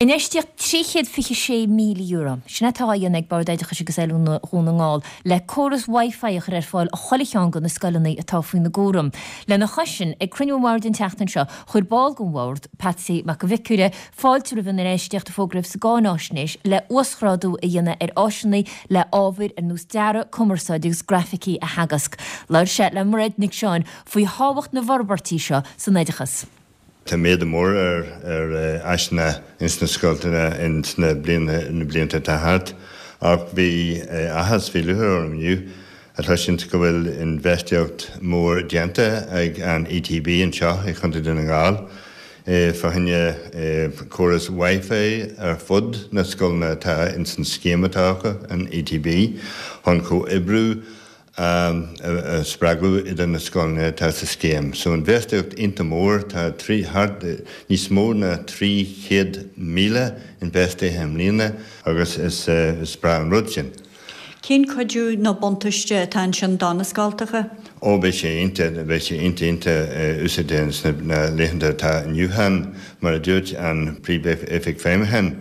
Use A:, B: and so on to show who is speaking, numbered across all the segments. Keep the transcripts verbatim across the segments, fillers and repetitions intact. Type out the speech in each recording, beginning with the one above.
A: Infheistíocht trí chéad fiche sé míle euro. Sin atá á dhéanamh ag Bord Oideachais agus Oiliúna Dhún na nGall le córas Wi-Fi a chur ar fáil do chuile cheann de na scoileanna atá faoina gcúram. Lena chois sin, ag cruinniú an bhoird an tseachtain seo, chuir ball den bhord, Patsy Mac an Bhiocáire, fáilte roimh an infheistíocht a fógraíodh sa gcáináisnéis le uasghrádú a dhéanamh ar áiseanna le ábhair ar nós dearadh, cumarsáid agus grafaicí a theagasc. Labhair sé le Mairéad Nic Seáin faoi thábhacht na bhforbairtí seo san oideachas.
B: Tá méadú mór ar ar áiseanna ins na scoileanna ins na na blianta atá thart, ach bhí áthas bhí lúcháir orm inniu a chloisint go bhfuil infheistíocht mór déanta ag an ETB anseo i Chontae Dhún na nGall fá choinne córas Wi-Fi ar fud na scoileanna atá ins an scéim atá acu an ETB chun comhoibriú a spreagadh idir na scoileanna atá sa scéim. So infheistíocht iontach mór tá trí thart níos mó ná trí chéad míle infheistithe i mbliana agus is is breá an rud sin.
C: Cén cuidiú nó buntáiste atá ansin do na scoltacha?
B: Ó beidh sé iontach beidh sé iontach iontach úsáideach sna laethanta atá inniu ann mar a dúirt an príomh-oifigeach feidhmiúcháin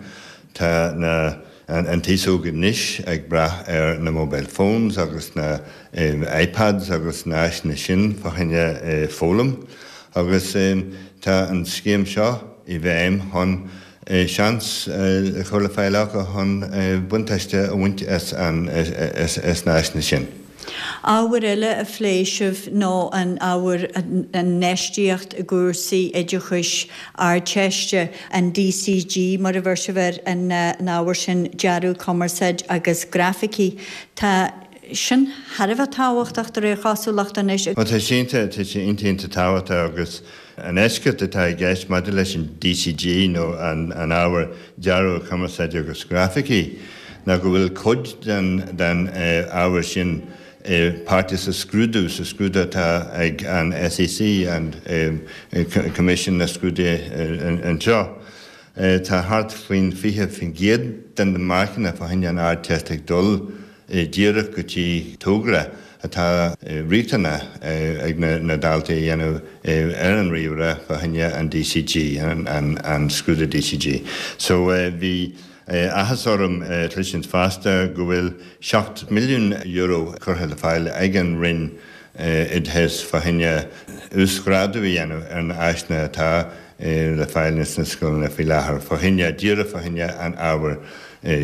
B: tá na an t-aos óg anois ag brath ar na mobile phones agus na iPads agus na háiseanna sin fá choinne foghlaim agus tá an scéim seo i bhfeidhm chun seans a chur le fáil acu chun buntáiste a bhaint as an as na háiseanna sin.
C: Ábhar eile a phléigh sibh ná an ábhar an infheistíocht i gcúrsaí oideachais Ardteiste, an DCG mar a bheir sibh ar an ábhar sin dearadh, cumarsáid agus grafaicí. Tá sin thar a bheith tábhachtach de réir chosúlachta anois.
B: Tá sé tá sé iontach tábhachtach agus an eisceacht atá i gceist maidir leis an DCG nó an an ábhar dearadh, cumarsáid agus grafaicí ná go bhfuil cuid den den ábhar sin páirteach sa scrúdú sa scrúdú atá ag an SEC an Coimisiún na Scrúduithe anseo. Tá thart faoin fiche faoin gcéad den na marcanna fá choinne an Ardteist ag dul díreach go dtí togra atá riachtanach ag na daltaí a dhéanamh ar an ríomhaire fá choinne an DCG an, an, an scrúdú DCG. So bhí áthas orm cloisint fosta go bhfuil seacht milliún euro curtha le fáil ag an Roinn Oideachais fá choinne uasghrádú a dhéanamh ar na háiseanna atá le fáil sna scoileanna faoi láthair fá choinne díreach fá choinne an ábhar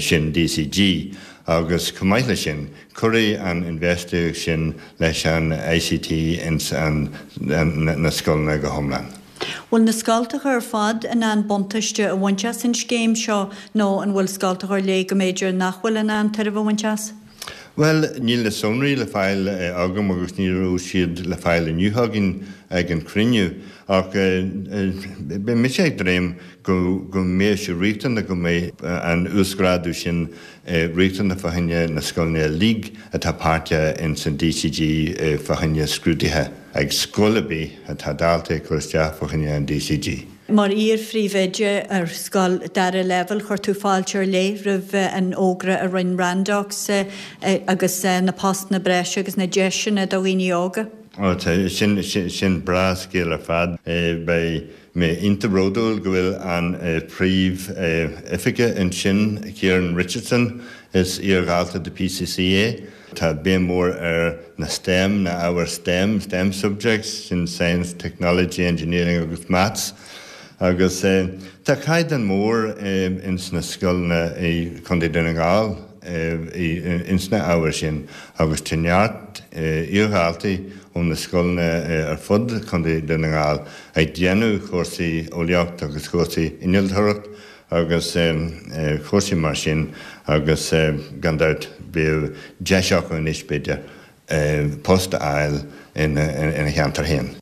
B: sin DCG agus chomh maith leis sin cuirfidh an infheistíocht sin leis an ICT ins an, na scoileanna go hiomlán.
C: Bhfuil na scoltacha ar fad in ann buntáiste a bhaint as an scéim seo nó an bhfuil scoltacha ar leith go mb'fhéidir nach bhfuil in ann tairbhe a bhaint as?
B: Well, níl na sonraí le fáil agam agus ní raibh siad le fáil inniu againn ag an cruinniú ach beidh mise ag dréim go go mbeidh sé riachtanach go mbeidh an uasghrádú sin riachtanach fá choinne na scoileanna uilig atá páirteach in san DCG fá choinne scrúduithe ag scoil ar bith atá daltaí ag cur isteach fá choinne an DCG.
C: Mar iar-phríomhoide ar scoil dara leibhéal chuir tú fáilte ar leith roimh an fhógra a rinne Randox agus na postanna breise agus na deiseanna do dhaoine óga.
B: Ó sin sin breá scéal ar fad beidh mé iontach bródúil go bhfuil an príomh-oifigeach ansin Kieran Richardson is iar-dhalta de PCC é. Tá béim mór ar na STEM na ábhair STEM, STEM subjects sin Science, Technology, Engineering agus Maths. agus tá caighdeán mór ins na scoileanna i Contae Dhún na nGall ins na ábhair sin agus tá neart iar-dhaltaí ó na scoileanna ar fud Contae Dhún na nGall ag déanamh cúrsaí eolaíocht agus cúrsaí innealtóireacht agus cúrsaí mar sin agus gan dabht beidh deis acu anois b'fhéidir post a fháil ina cheantar féin.